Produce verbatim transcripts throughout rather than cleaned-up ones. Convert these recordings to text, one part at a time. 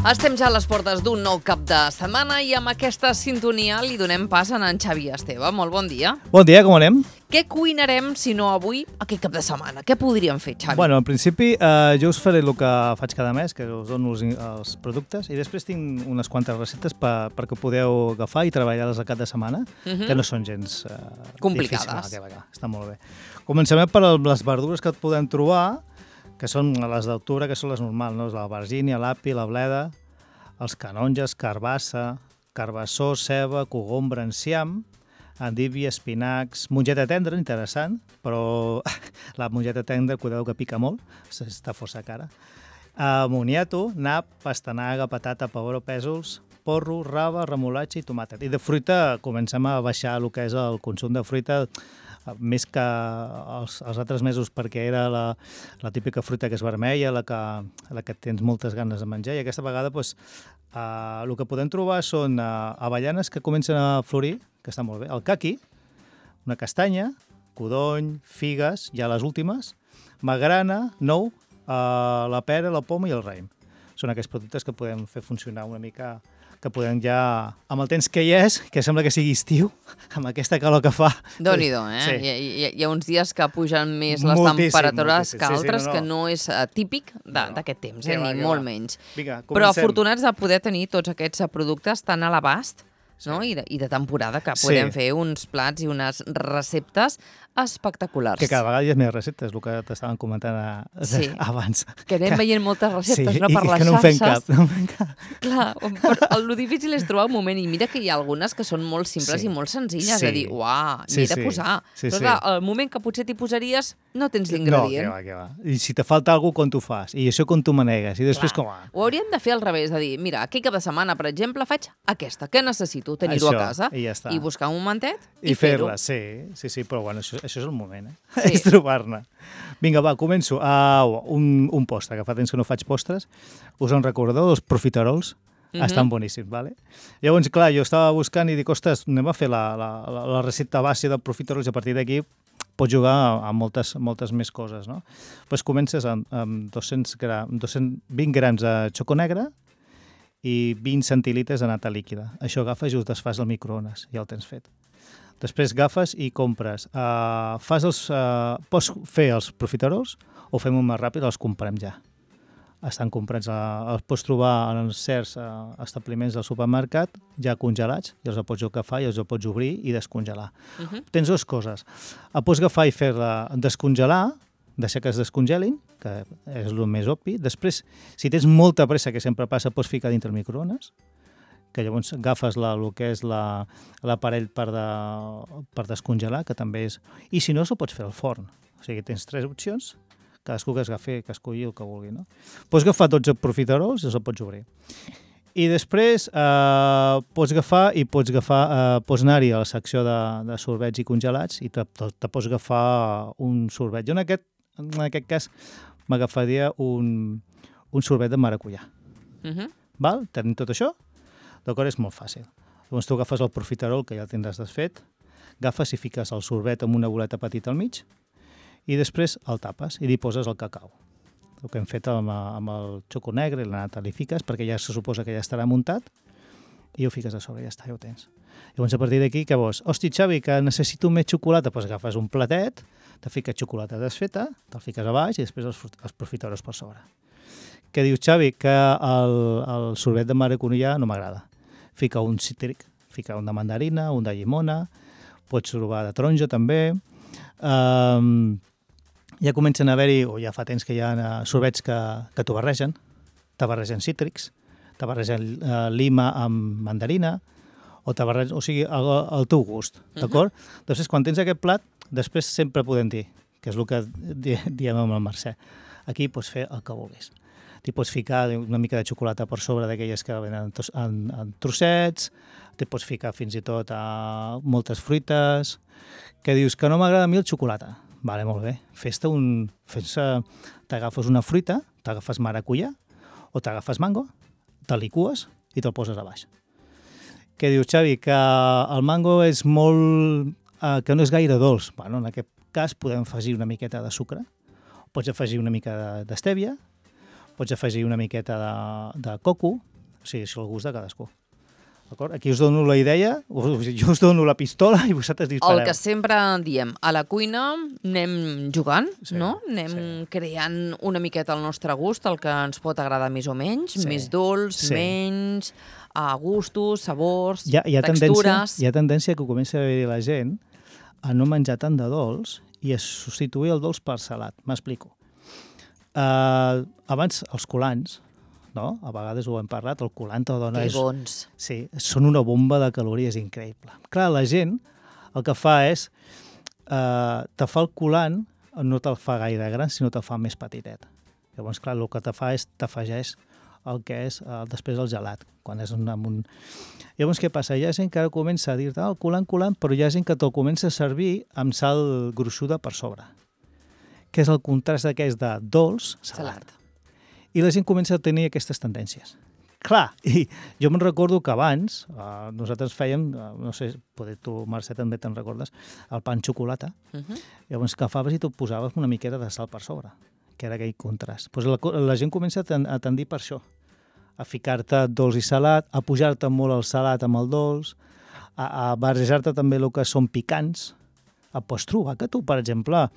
Estem ja a les portes d'un nou cap de setmana i amb aquesta sintonia li donem pas a en Xavi Esteve. Molt bon dia. Bon dia, com anem? Què cuinarem, si no avui, aquest cap de setmana? Què podríem fer, Xavi? Bueno, en principi, eh, jo us faré el que faig cada mes, que us dono els, els productes, i després tinc unes quantes receptes per, perquè podeu agafar i treballar-les al cap de setmana, uh-huh. que no són gens eh, complicades. Difícils. No, està molt bé. Comencem per les verdures que et podem trobar, que són les d'octubre, que són les normals, no? L'albergínia, l'api, la bleda, els canonges, carbassa, carbassó, ceba, cogombre, enciam, endívia, espinacs, mongeta tendra, interessant, però la mongeta tendra, cuideu que pica molt, està força cara. Uh, moniato, nap, pastanaga, patata, pebró, pèsols, porro, raba, remolatge i tomàquet. I de fruita comencem a baixar el que és el consum de fruita, més que els, els altres mesos, perquè era la, la típica fruita que és vermella, la que, la que tens moltes ganes de menjar, i aquesta vegada doncs, uh, el que podem trobar són uh, avellanes que comencen a florir, que està molt bé, el caqui, una castanya, codony, figues, ja les últimes, magrana, nou, uh, la pera, la poma i el raïm. Són aquests productes que podem fer funcionar una mica, que podem ja, amb el temps que hi és, que sembla que sigui estiu, amb aquesta calor que fa. Déu-n'hi-do, eh? Sí. Hi, hi, hi ha uns dies que pugen més les moltíssim, temperatures moltíssim. que Sí, sí, altres, no, no. que no és uh, típic d'aquest temps, eh? Que va, ni que molt va. menys. Vinga, Però comencem. afortunats de poder tenir tots aquests productes tan a l'abast, no? I, de, i de temporada, que podem Sí. fer uns plats i unes receptes espectaculars. Que cada vegada hi ha més receptes, el que t'estaven comentant a, Sí. abans. Que anem veient moltes receptes, sí, no, per i, les i que no en fem xarxes. cap. No en fem cap. Clar, però el difícil és trobar un moment, i mira que hi ha algunes que són molt simples Sí. i molt senzilles, Sí. de dir, uah, Sí, m'hi he de sí. posar. Sí, Però sí. clar, el moment que potser t'hi posaries, no tens No, l'ingredient. que va, que va. I si te falta alguna cosa, com t'ho fas? I això com t'ho manegues? I després Clar. com va? Ho hauríem de fer al revés, de dir, mira, aquest cap de setmana, per exemple, faig aquesta. Què necessito? Tenir-ho a Això, casa. i ja està. I buscar un momentet i, I fer-ho. fer-la, sí, sí, sí, però bueno, això, això és el moment, eh? Sí. És trobar-ne. Vinga, va, començo. Uh, un, un postre, que fa temps que no faig postres. Us en recordeu, els profiterols? Mhm. Estan boníssims, vale? Llavors, clar, jo estava buscant i dic, ostres, anem a fer la, la, la, la recepta base de profiterols i a partir d'aquí pots jugar a, a moltes, moltes més coses, no? Pues comences amb, amb dos-cents gram, dos-cents vint grams de xoco negre i vint centilitres de nata líquida. Això agafes i ho desfas al microones, ja el tens fet. Després agafes i compres. Uh, fas els, uh, pots fer els profiterols o fem-ho més ràpid, els comprem ja. Estan comprats, uh, els pots trobar en certs uh, establiments del supermercat ja congelats, i els pots agafar i els pots obrir i descongelar. Uh -huh. Tens dues coses. El pots agafar i fer-la descongelar, deixar que es descongelin, que és el més obvi. Després, si tens molta pressa, que sempre passa, pots ficar dintre el microones, que llavors agafes la, el que és la, l'aparell per, de, per descongelar, que també és... I si no, s'ho pots fer al forn. O sigui, tens tres opcions, cadascú que agafi, que escolli el que vulgui, no? Pots agafar dotze profiterols i els pots obrir. I després eh, pots agafar i pots agafar, eh, pots anar-hi a la secció de, de sorbets i congelats i te, te, te pots agafar un sorbet. Jo en aquest, en aquest cas m'agafaria un, un sorbet de maracuyà. Uh -huh. Val? Tenim tot això? D'acord, és molt fàcil. Llavors tu agafes el profiterol, que ja el tindràs desfet, agafes i fiques el sorbet amb una boleta petita al mig i després el tapes i li poses el cacau. El que hem fet amb, amb el xoco negre i la nata li fiques, perquè ja se suposa que ja estarà muntat, i ho fiques a sobre, ja està, ja ho tens. Llavors a partir d'aquí, què vols? Hosti, Xavi, que necessito més xocolata, doncs agafes un platet, te fiques xocolata desfeta, te'l fiques a baix i després els, els profiterols per sobre. Què dius, Xavi? Que el, el sorbet de maracuyà no m'agrada. Fica un cítric, fica un de mandarina, un de llimona, pots trobar de taronja també. Um, ja comencen a haver-hi, o ja fa temps que hi ha sorbets que, que t'ho barregen, te barregen cítrics, te barregen uh, lima amb mandarina, o te barregen, o sigui, al, al teu gust, d'acord? Uh-huh. Després, quan tens aquest plat, després sempre podem dir, que és el que diem amb el Mercè, aquí pots fer el que vulguis. T'hi pots ficar una mica de xocolata per sobre d'aquelles que venen en, en trossets, t'hi pots ficar fins i tot a moltes fruites, que dius que no m'agrada a mi el xocolata. Vale, molt bé. Fes-te un... Fes-te... T'agafes una fruita, t'agafes maracuyà o t'agafes mango, te licues i te'l poses a baix. Què dius, Xavi? Que el mango és molt... Eh, que no és gaire dolç. Bueno, en aquest cas podem afegir una miqueta de sucre, pots afegir una mica d'estèvia, pots afegir una miqueta de, de coco, O sigui, és el gust de cadascú. D'acord? Aquí us dono la idea, jo us dono la pistola i vosaltres dispareu. El que sempre diem, a la cuina anem jugant, Sí, no? Anem sí. creant una miqueta el nostre gust, el que ens pot agradar més o menys, Sí, més dolç, sí. menys, a gustos, sabors, Hi ha, hi ha tendència, textures... hi ha tendència que comença a haver la gent a no menjar tant de dolç i a substituir el dolç per salat. M'explico. Uh, abans, els colants, no? A vegades ho hem parlat, el colant te dona... Que és- bons. Sí, són una bomba de calories increïble. Clar, la gent el que fa és, eh, te fa el colant, no te'l fa gaire gran, sinó te'l fa més petitet. Llavors, clar, el que te fa és, t'afegeix el que és eh, després el gelat, quan és un, amb un... Llavors, què passa? Hi ha gent que ara comença a dir-te, ah, el colant, colant, però hi ha gent que te'l comença a servir amb sal gruixuda per sobre, que és el contrast d'aquest de dolç, salat. Salat. I la gent comença a tenir aquestes tendències. Clar, i jo me'n recordo que abans eh, nosaltres fèiem, eh, no sé, poder tu, Mercè, també te'n recordes, el pa amb xocolata. Uh -huh. Llavors agafaves i tu posaves una miqueta de sal per sobre, que era aquell contrast. Pues la, co- la gent comença a, ten, a tendir per això, a ficar-te dolç i salat, a pujar-te molt el salat amb el dolç, a, a barrejar-te també el que són picants. Et pots trobar que tu, per exemple,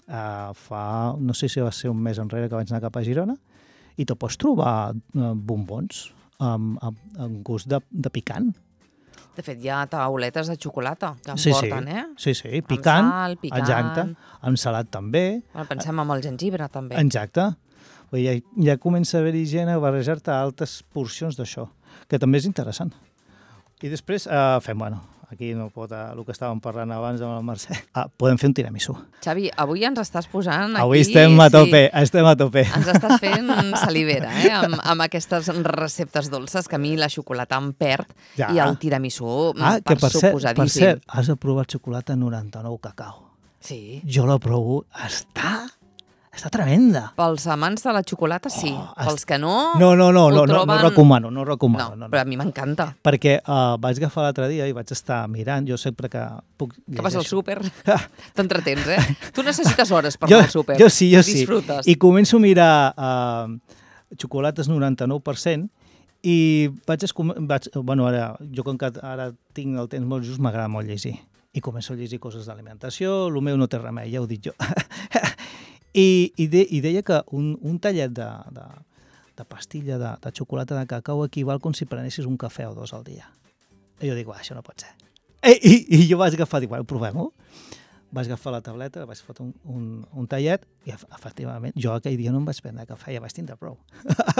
eh, fa, no sé si va ser un mes enrere que vaig anar cap a Girona, i te pots trobar eh, bombons amb, amb, amb gust de, de picant. De fet, hi ha tauletes de xocolata que en Sí, sí. porten, eh? Sí, sí, picant, Amb sal, picant... exacte, amb salat també, Bueno, pensem amb el gengibre, també. exacte. Vull dir, ja, ja comença a haver-hi gent a barrejar-te altes porcions d'això, que també és interessant. I després eh, fem, bueno, aquí no pot, eh, el que estàvem parlant abans amb el Mercè, ah, podem fer un tiramisú. Xavi, avui ens estàs posant aquí... Avui estem a tope, estem a tope. Ens estàs fent salivera, eh? Amb, amb aquestes receptes dolces, que a mi la xocolata em perd, Ja. i el tiramisú, Ah, per que per cert, per suposadíssim. cert, has de provar xocolata noranta-nou cacau. Sí. Jo la provo, està, està tremenda. Pels amants de la xocolata, sí. Oh, Pels que no... No, no, no, ho no, no, troben... no recomano, no No, recomano. No, no, però a mi m'encanta. Perquè uh, vaig agafar l'altre dia i vaig estar mirant, jo sempre que puc... Que vas al llegeixo. súper, t'entretens, eh? Tu necessites hores per Jo, anar al súper. jo sí, jo sí. Disfrutes. I començo a mirar uh, xocolates noranta-nou per cent i vaig, escom- vaig... Bueno, ara, jo com que ara tinc el temps molt just, m'agrada molt llegir. I començo a llegir coses d'alimentació, el meu no té remei, ja ho dic jo. I, i, de, I deia que un, un tallet de, de, de pastilla de, de xocolata de cacau equival com si prenessis un cafè o dos al dia. I jo dic, va, això no pot ser. I, i, i jo vaig agafar, dic, bueno, provem-ho. Vaig agafar la tableta, vaig fotre un, un, un tallet i, efectivament, jo aquell dia no em vaig prendre cafè, ja vaig tindre prou.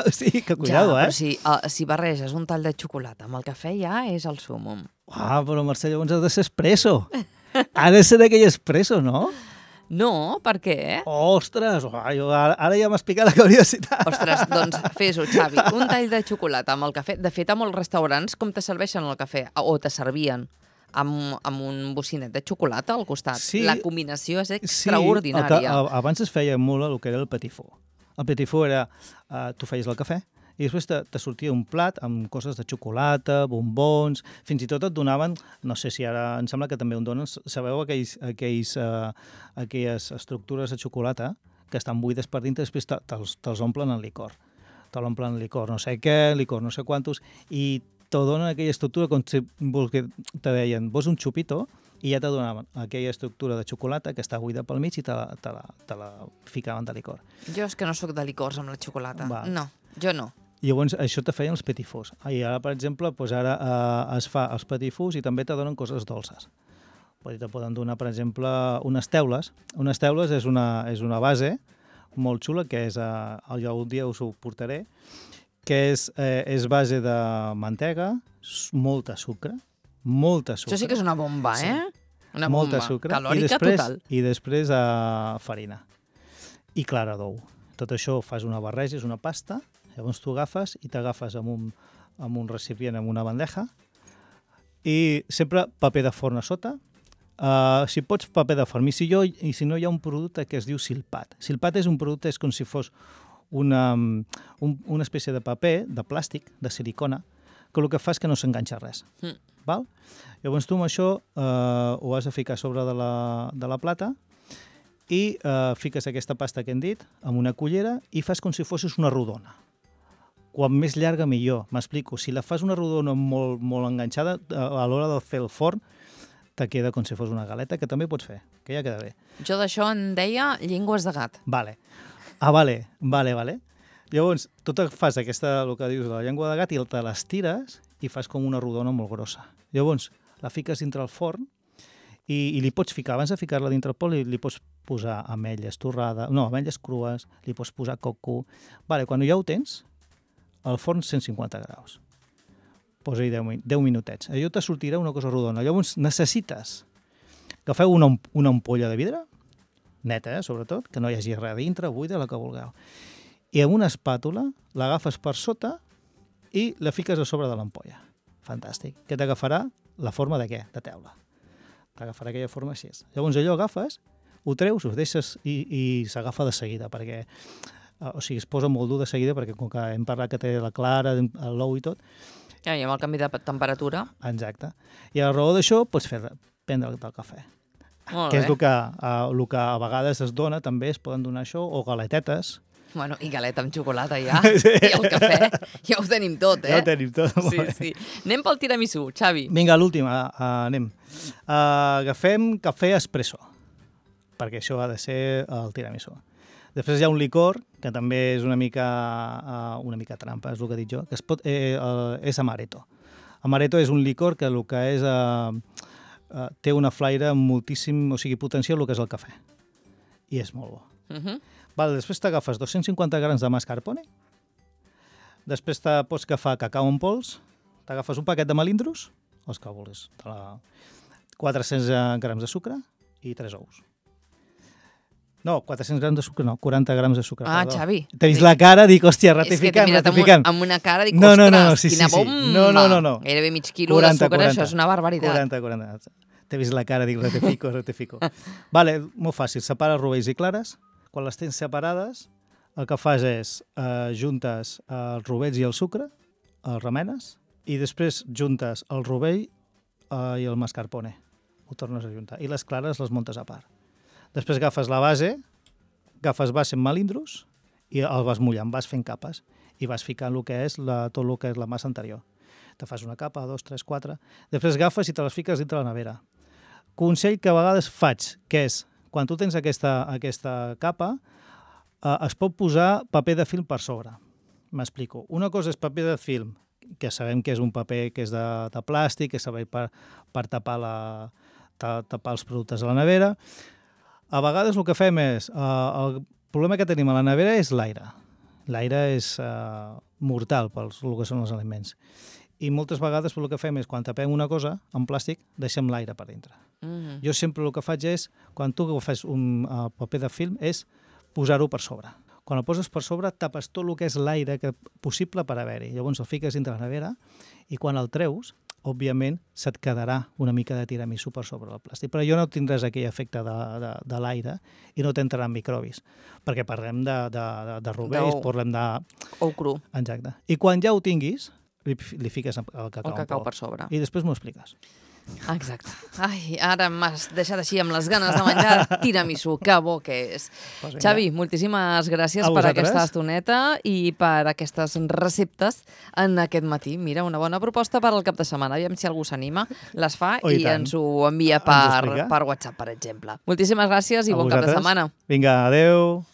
O sigui, que cuidado, ja, eh? però si, uh, si barreges un tall de xocolata amb el cafè ja és el súmum. Ah, però Mercè, llavors ha de ser espresso. Ha de ser d'aquell espresso, no? No, per què? Ostres, oh, jo, ara, ara ja m'has picat la curiositat. Ostres, doncs fes-ho, Xavi. Un tall de xocolata amb el cafè. De fet, a molts restaurants, com te serveixen el cafè? O te servien amb, amb un bocinet de xocolata al costat. Sí. La combinació és Sí, el extraordinària. que, a, abans es feia molt el que era el petit four. El petit four era, uh, tu feies el cafè i després te, te sortia un plat amb coses de xocolata, bombons, fins i tot et donaven, no sé si ara em sembla que també ho donen, sabeu aquells, aquells, uh, aquelles estructures de xocolata que estan buides per dintre, després te, te'ls, te'ls omplen en licor. Te l'omplen en licor no sé què, licor no sé quantos, i te donen aquella estructura com si vols que te deien, vols un xupito, i ja te donaven aquella estructura de xocolata que està buida pel mig i te la, te la, te la ficaven de licor. Jo és que no sóc de licors amb la xocolata. Va. No, jo no. I llavors això te feien els petit fours. I ara, per exemple, doncs ara eh, es fa els petit fours i també te donen coses dolces. Vull dir, te poden donar, per exemple, unes teules. Unes teules és una, és una base molt xula, que és, eh, jo un dia us ho portaré, que és, eh, és base de mantega, s- molta sucre, molta sucre. Això sí que és una bomba, Sí. eh? Una molta bomba. sucre Calòrica i després, total. i després uh, farina i clara d'ou. Tot això fas una barreja, és una pasta, llavors tu agafes i t'agafes amb, un, amb un recipient, amb una bandeja, i sempre paper de forn a sota. Uh, si pots, paper de forn. I si, jo, I si no, hi ha un producte que es diu silpat. Silpat és un producte, és com si fos una, un, una espècie de paper, de plàstic, de silicona, que el que fa és que no s'enganxa res. Mm. Val? Llavors tu amb això eh, ho has de ficar a sobre de la, de la plata i eh, fiques aquesta pasta que hem dit amb una cullera i fas com si fossis una rodona. quan més llarga millor, m'explico. Si la fas una rodona molt, molt enganxada, a l'hora de fer el forn, te queda com si fos una galeta, que també pots fer, que ja queda bé. Jo d'això en deia llengües de gat. Vale. Ah, vale, vale, vale. Llavors, tu te fas aquesta, el que dius, de la llengua de gat, i te l'estires i fas com una rodona molt grossa. Llavors, la fiques dintre el forn i, i li pots ficar, abans de ficar-la dintre el pot, li, li pots posar ametlles torrades, no, ametlles crues, li pots posar coco. Vale, quan ja ho tens, al forn cent cinquanta graus. Posa-hi deu minutets. Allò te sortirà una cosa rodona. Llavors necessites agafeu una, una ampolla de vidre, neta, eh, sobretot, que no hi hagi res dintre, buida, la que vulgueu. I amb una espàtula l'agafes per sota i la fiques a sobre de l'ampolla. Fantàstic. Què t'agafarà? La forma de què? De teula. T'agafarà aquella forma així. Llavors allò agafes, ho treus, ho deixes i, i s'agafa de seguida, perquè o sigui, es posa molt dur de seguida, perquè com que hem parlat que té la clara, l'ou i tot. Ja, i amb el canvi de temperatura. Exacte. I a la raó d'això pots fer, prendre del cafè. Molt que bé. és el que, el que a vegades es dona, també es poden donar això, o galetetes. Bueno, i galeta amb xocolata ja, sí. I el cafè, ja ho tenim tot, eh? Ja ho tenim tot. Sí, sí. Anem pel tiramisú, Xavi. Vinga, l'última, uh, anem. Uh, agafem cafè espresso, perquè això ha de ser el tiramisú. Després hi ha un licor, que també és una mica, uh, una mica trampa, és el que he dit jo, que es pot, eh, uh, és amaretto. Amaretto és un licor que el que és... Uh, Uh, té una flaire moltíssim, o sigui, potencial el que és el cafè. I és molt bo. Uh -huh. Vale, després t'agafes dos-cents cinquanta grams de mascarpone, després te pots agafar cacau en pols, t'agafes un paquet de melindros, els que vulguis, la... quatre-cents grams de sucre i tres ous. No, quatre-cents grams de sucre, no, quaranta grams de sucre. Ah, perdó. Xavi. T'he vist la cara, dic, hòstia, ratificant, és que t'he mirat ratificant. Amb, un, amb una cara, dic, no, no, ostres, no, no, sí, quina sí, sí. bomba. No, no, no, no. Gairebé mig quilo quaranta, de sucre, quaranta. això és una barbaritat. quaranta, quaranta. T'he vist la cara, dic, ratifico, ratifico. Vale, molt fàcil, separa rovells i clares. Quan les tens separades, el que fas és eh, juntes els rovells i el sucre, els remenes, i després juntes el rovell eh, i el mascarpone. Ho tornes a juntar. I les clares les muntes a part. Després agafes la base, agafes base amb melindros i el vas mullant, vas fent capes i vas ficant el que és la, tot el que és la massa anterior. Te fas una capa, dos, tres, quatre... Després agafes i te les fiques dintre la nevera. Consell que a vegades faig, que és, quan tu tens aquesta, aquesta capa, eh, es pot posar paper de film per sobre. M'explico. Una cosa és paper de film, que sabem que és un paper que és de, de plàstic, que serveix per, per tapar, la, tapar els productes a la nevera. A vegades el que fem és, eh, el problema que tenim a la nevera és l'aire. L'aire és eh, mortal pels el que són els aliments. I moltes vegades el que fem és, quan tapem una cosa en plàstic, deixem l'aire per dintre. Mm-hmm. Jo sempre el que faig és, quan tu fas un uh, paper de film, és posar-ho per sobre. Quan el poses per sobre, tapes tot el que és l'aire que possible per haver-hi. Llavors el fiques dintre la nevera i quan el treus, òbviament, se't quedarà una mica de tiramisú per sobre el plàstic. Però jo no tindràs aquell efecte de, de, de l'aire i no t'entraran microbis, perquè parlem de, de, de, de rovells, parlem de... Ou cru. Exacte. I quan ja ho tinguis, li, li fiques el cacau, el cacau per sobre. I després m'ho expliques. Exacte. Ai, ara m'has deixat així amb les ganes de menjar tiramisú, que bo que és. Pues Xavi, moltíssimes gràcies per aquesta estoneta i per aquestes receptes en aquest matí. Mira, una bona proposta per al cap de setmana. Aviam si algú s'anima, les fa oh, i, i ens ho envia per, per WhatsApp, per exemple. Moltíssimes gràcies i a bon vosaltres. Cap de setmana. Vinga, adeu.